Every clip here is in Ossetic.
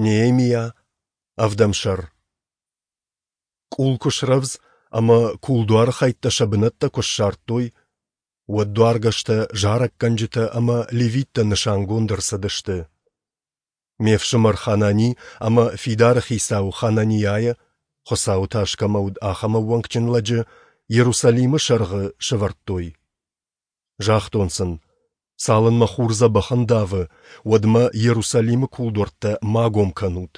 Неемиа, ӕвдӕм сӕр. Къул куы срӕвдз ӕмӕ кулдуары хӕйттӕ сӕ бынӕттӕ куы ссардтой, уӕд дуаргӕстӕ, зарӕггӕнджытӕ ӕмӕ левиттӕ нысангонд ӕрцыдысты. Ме фсымӕр Ханани ӕмӕ фидары хицау Хананийайы, Хуыцауы тас кӕмӕ уыд, ахӕм ӕууӕнкджын лӕджы, Иерусалимы сӕргъы сӕвӕрдтой. Загътон сын, цалынмӕ хур дзӕбӕх ӕндавы, уӕдмӕ Иерусалимы кулдуӕрттӕ ма гом кӕнут.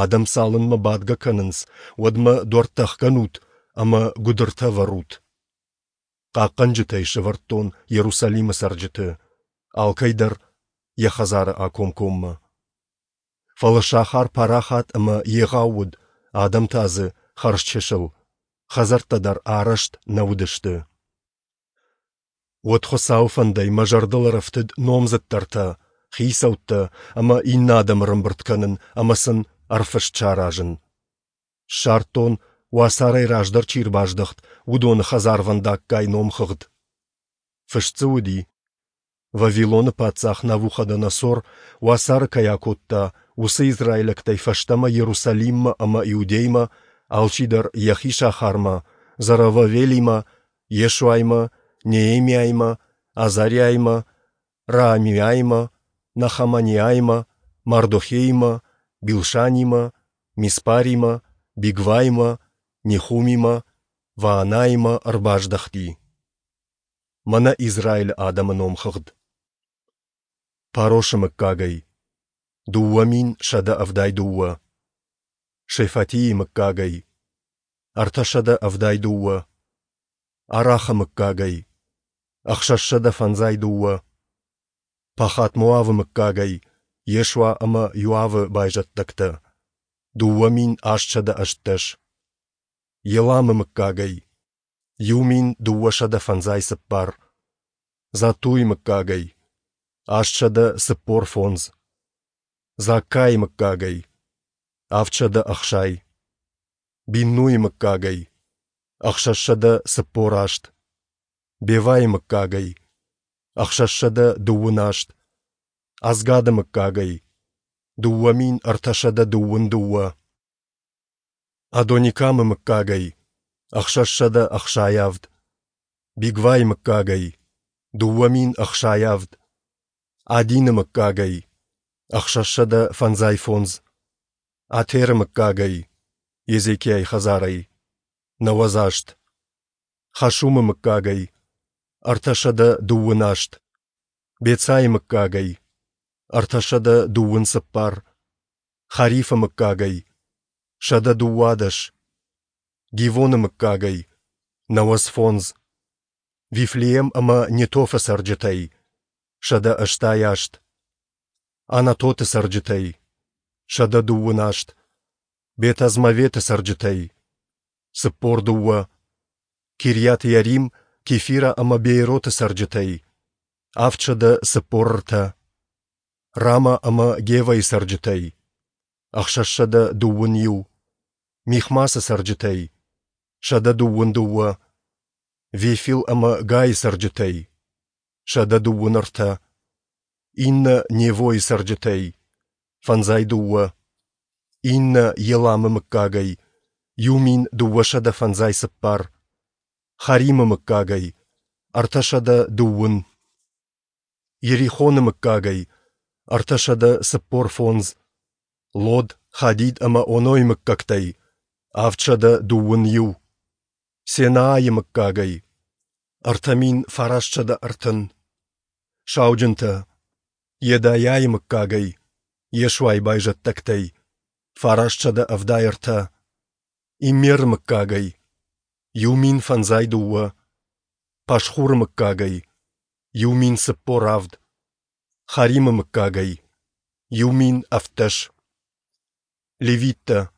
Адӕм цалынмӕ бадгӕ кӕнынц, уӕдмӕ дуӕрттӕ ӕхгӕнут ӕмӕ гуыдыртӕ ӕвӕрут. Хъахъхъӕнджытӕй сӕвӕрдтон Иерусалимы цӕрджыты, алкӕй дӕр йӕ хӕдзары акомкоммӕ. Фӕлӕ сахар парахат ӕмӕ егъау уыд, адӕм та дзы хӕрзчысыл, хӕдзӕрттӕ дӕр арӕзт нӕ уыдысты. Уӕд Хуыцауы фӕндӕй мӕ зӕрдыл ӕрӕфтыд номдзыддӕртӕ, хицӕуттӕ ӕмӕ иннӕ адӕмы ӕрӕмбырд кӕнын ӕмӕ сын ӕрфыст саразын. Ссардтон, уацарӕй раздӕр чи ӕрбаздӕхт, уыдоны хӕдзарвӕндаггай номхыгъд. Фыст дзы уыди, Вавилоны паддзах Навуходоносор уацары кӕй акодта, уыцы израилӕгтӕй фӕстӕмӕ Иерусалиммӕ ӕмӕ Иудеймӕ, алчидӕр йӕхи сахармӕ, Зоровавелимӕ, Йешуаимӕ, Неемиаимӕ, Азариаимӕ, Раамиаимӕ, Нахаманиаимӕ, Мардохеимӕ, Билшанимӕ, Миспаримӕ, Бигваимӕ, Нехумимӕ, Ваанаимӕ ӕрбаздӕхти. Мӕнӕ Израилы адӕмы номхыгъд. Парошы мыггагӕй – 2172. Шефатийы мыггагӕй – 372. Арахы мыггагӕй – 652. Пахат-Моавы мыггагӕй – Йешуа ӕмӕ Йоавы байзӕддӕгтӕ – 2818. Еламы мыггагӕй – 1254. Заттуйы мыггагӕй – 845. Заккайы мыггагӕй – 760. Биннуйы мыггагӕй – 648. Бевайы мыггагӕй – 628. Азгады мыггагӕй – 2322. Адоникамы мыггагӕй – 667. Бигвайы мыггагӕй – 2067. Адины мыггагӕй – 655. Атеры мыггагӕй – Езекиайы хӕдзарӕй – 98. Хашумы мыггагӕй – 328. Бецайы мыггагӕй – 324. Харифы мыггагӕй – 112. Гивоны мыггагӕй – 95. Вифлеем ӕмӕ Нетофы цӕрджытӕй – 188. Анатоты цӕрджытӕй – 128. Бет-Азмаветы цӕрджытӕй – 42. Кирйат-Иарим, Кефира ӕмӕ Беероты цӕрджытӕй – 743. Рама ӕмӕ Гевӕйы цӕрджытӕй – 621. Михмасы цӕрджытӕй – 122. Вефил ӕмӕ Гайы цӕрджытӕй – 123. Иннӕ Невойы цӕрджытӕй – 52. Иннӕ Еламы мыггагӕй – 1254. Харимы мыггагӕй – 320. Йерихоны мыггагӕй – 345. Лод, Хадид ӕмӕ Онойы мыггӕгтӕй – 721. Сенаайы мыггагӕй – 3930. Сауджынтӕ Йедайӕйы мыггагӕй, Йешуайы байзӕддӕгтӕй – 973. Иммеры мыггагӕй – 1052. Пашхуры мыггагӕй – 1047. Харимы мыггагӕй – 1017. Левиттӕ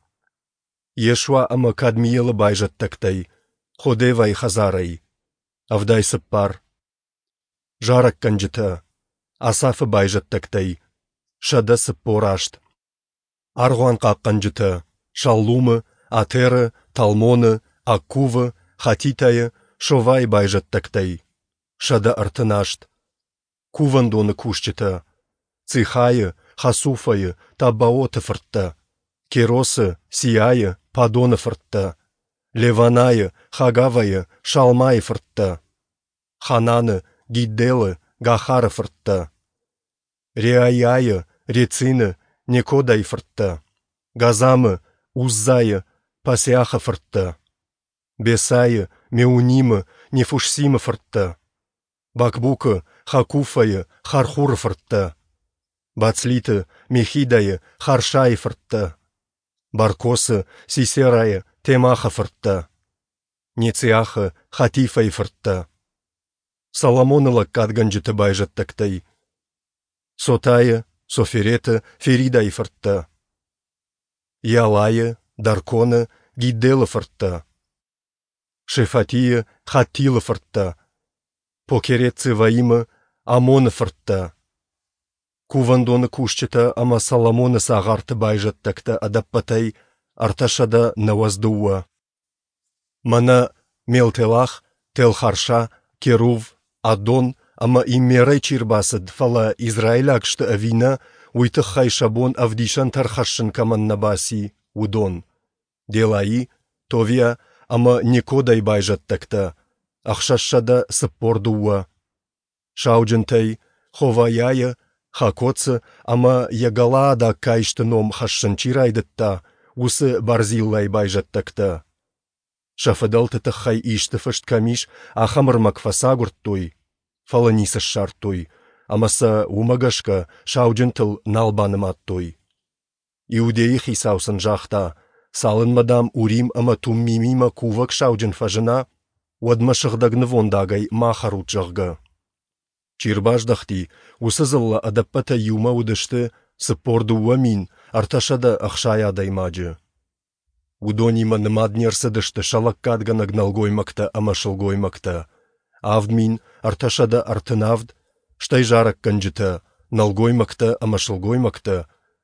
Йешуа ӕмӕ Кадмиелы байзӕддӕгтӕй, Ходевайы хӕдзарӕй – 74. Зарӕггӕнджытӕ Асафы байзӕддӕгтӕй – 148. Аргъуанхъахъхъӕнджытӕ Шаллумы, Атеры, Талмоны, Аккувы, Хатитайы, Шовайы байзӕддӕгтӕй – 138. Кувӕндоны кусджытӕ Цихайы, Хасуфӕйы, Таббаоты фырттӕ, Керосы, Сиайы, Падоны фырттӕ, Леванайы, Хагавӕйы, Шалмайы фырттӕ, Хананы, Гидделы, Гахары фырттӕ, Реаиайы, Рецины, Некодайы фырттӕ, Газамы, Уззайы, Пасеахы фырттӕ, Бесайы, Меунимы, Нефушсимы фырттӕ, Бакбукы, Хакуфайы, Хархуры фырттӕ, Бацлиты, Мехидайы, Харшайы фырттӕ, Баркосы, Сисерайы, Темахы фырттӕ, Нециахы, Хатифайы фырттӕ. Соломоны лӕггадгӕнджыты байзӕддӕгтӕй Сотайы, Софереты, Феридайы фырттӕ, Иалайы, Дарконы, Гидделы фырттӕ, Шефатийы, Хаттилы фырттӕ, Покерет-Цеваимы, Амоны фырттӕ. Кувӕндоны кусджытӕ ӕмӕ Соломоны цагъарты байзӕддӕгтӕ ӕдӕппӕтӕй 392. Мӕнӕ Мелтелах, Телхарша, Керув, Аддон ӕмӕ Иммерӕй чи рбацыд, фӕлӕ израилаг сты ӕви нӕ, уый тыххӕй сӕ бон ӕвдисӕнтӕ ӕрхӕссын кӕмӕн нӕ баци, уыдон: Делаи, Товиа ӕмӕ Некодайы байзӕддӕгтӕ, 642. Сауджынтӕй, Ховайӕйы, Хакоцы ӕмӕ йӕ галаадаг каисты ном хӕссын чи райдыдта, уыцы Барзиллайы байзӕддӕгтӕ. Сӕ фыдӕлты тыххӕй исты фыст кӕм ис, ахӕм ӕрмӕг фӕцагуырдтой, фӕлӕ ницы ссардтой, ӕмӕ сӕ уымӕ гӕсгӕ сауджынтыл нал банымадтой. Иудейы хицау сын загъта, цалынмӕ, дам, Урим ӕмӕ Туммимимӕ кувӕг сауджын фӕзына, уӕдмӕ сыгъдӕг нывондагӕй ма хӕрут, зӕгъгӕ. Чи рбаздӕхти, уыцы дзыллӕ ӕдӕппӕтӕй иумӕ уыдысты 42 360 адӕймаджы. Уыдонимӕ нымад не рцыдысты сӕ лӕггадгӕнӕг нӕлгоймӕгтӕ ӕмӕ сылгоймӕгтӕ, 7337, стӕй зарӕггӕнджытӕ, нӕлгоймӕгтӕ ӕмӕ сылгоймӕгтӕ,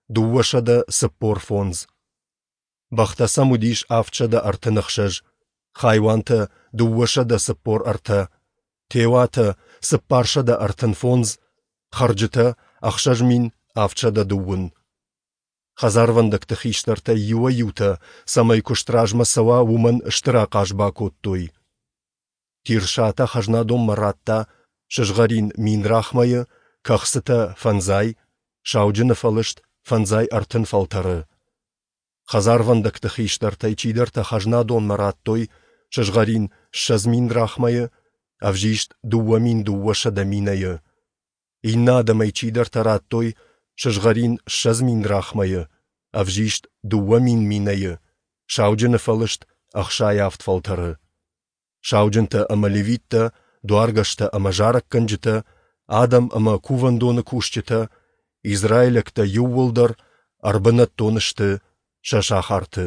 245. Бӕхтӕ сӕм уыдис 736, хайуантӕ 243, теуатӕ 435, хӕрджытӕ 6730. Хӕдзарвӕндӕгты хистӕртӕй иуӕй-иутӕ, цӕмӕй куыст размӕ цӕуа, уымӕн стыр ахъаз бакодтой. Тирсатӕ хӕзнадонмӕ радта сызгъӕрин 1000 драхмӕйы, кӕхцытӕ фӕндзай, сауджыны фӕлыст 35 фӕлтӕры. Хӕдзарвӕндӕгты хистӕртӕй чидӕртӕ хӕзнадонмӕ радтой сызгъӕрин 20 000 драхмӕйы, ӕвзист 2200 минӕйы. Иннӕ адӕмӕй чидӕртӕ радтой сызгъӕрин 20 000 драхмӕйы, ӕвзист 2000 минӕйы, сауджыны фӕлыст 67 фӕлтӕры. Сауджынтӕ ӕмӕ левиттӕ, дуаргӕстӕ ӕмӕ зарӕггӕнджытӕ, адӕм ӕмӕ кувӕндоны кусджытӕ, израилӕгтӕ иууылдӕр ӕрбынӕттон сты сӕ сахарты.